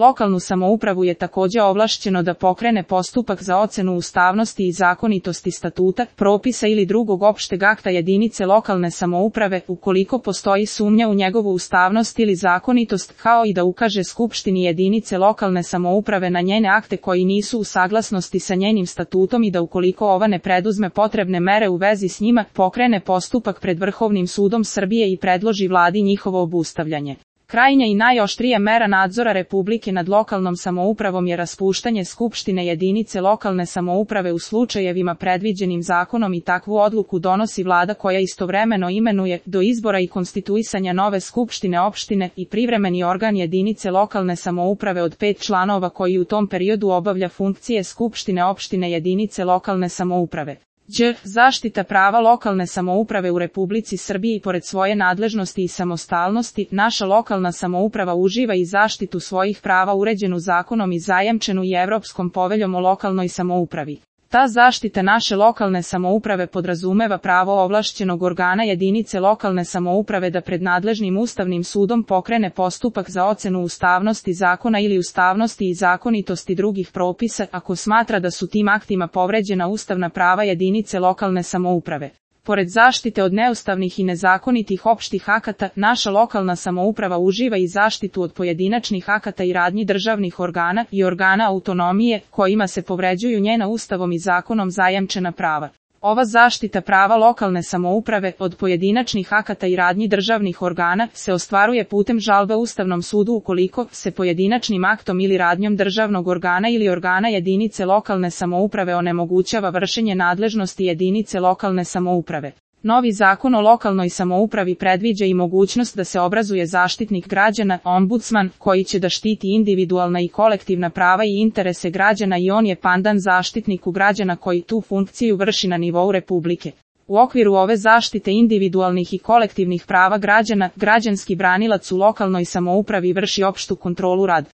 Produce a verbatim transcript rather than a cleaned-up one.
Lokalnu samoupravu je također ovlašćeno da pokrene postupak za ocenu ustavnosti i zakonitosti statuta, propisa ili drugog opšteg akta jedinice lokalne samouprave ukoliko postoji sumnja u njegovu ustavnost ili zakonitost, kao i da ukaže skupštini jedinice lokalne samouprave na njene akte koji nisu u saglasnosti sa njenim statutom i da ukoliko ova ne preduzme potrebne mere u vezi s njima, pokrene postupak pred Vrhovnim sudom Srbije i predloži vladi njihovo obustavljanje. Krajnja i najoštrija mera nadzora Republike nad lokalnom samoupravom je raspuštanje skupštine jedinice lokalne samouprave u slučajevima predviđenim zakonom i takvu odluku donosi vlada koja istovremeno imenuje do izbora i konstituisanja nove skupštine opštine i privremeni organ jedinice lokalne samouprave od pet članova koji u tom periodu obavlja funkcije skupštine opštine jedinice lokalne samouprave. Đ. Zaštita prava lokalne samouprave u Republici Srbiji. Pored svoje nadležnosti i samostalnosti, naša lokalna samouprava uživa i zaštitu svojih prava uređenu zakonom i zajamčenu i Evropskom poveljom o lokalnoj samoupravi. Ta zaštita naše lokalne samouprave podrazumeva pravo ovlašćenog organa jedinice lokalne samouprave da pred nadležnim Ustavnim sudom pokrene postupak za ocenu ustavnosti zakona ili ustavnosti i zakonitosti drugih propisa ako smatra da su tim aktima povređena ustavna prava jedinice lokalne samouprave. Pored zaštite od neustavnih i nezakonitih opštih akata, naša lokalna samouprava uživa i zaštitu od pojedinačnih akata i radnji državnih organa i organa autonomije, kojima se povređuju njena Ustavom i zakonom zajamčena prava. Ova zaštita prava lokalne samouprave od pojedinačnih akata i radnji državnih organa se ostvaruje putem žalbe Ustavnom sudu ukoliko se pojedinačnim aktom ili radnjom državnog organa ili organa jedinice lokalne samouprave onemogućava vršenje nadležnosti jedinice lokalne samouprave. Novi zakon o lokalnoj samoupravi predviđa i mogućnost da se obrazuje zaštitnik građana, ombudsman, koji će da štiti individualna i kolektivna prava i interese građana i on je pandan zaštitniku građana koji tu funkciju vrši na nivou Republike. U okviru ove zaštite individualnih i kolektivnih prava građana, građanski branilac u lokalnoj samoupravi vrši opštu kontrolu rada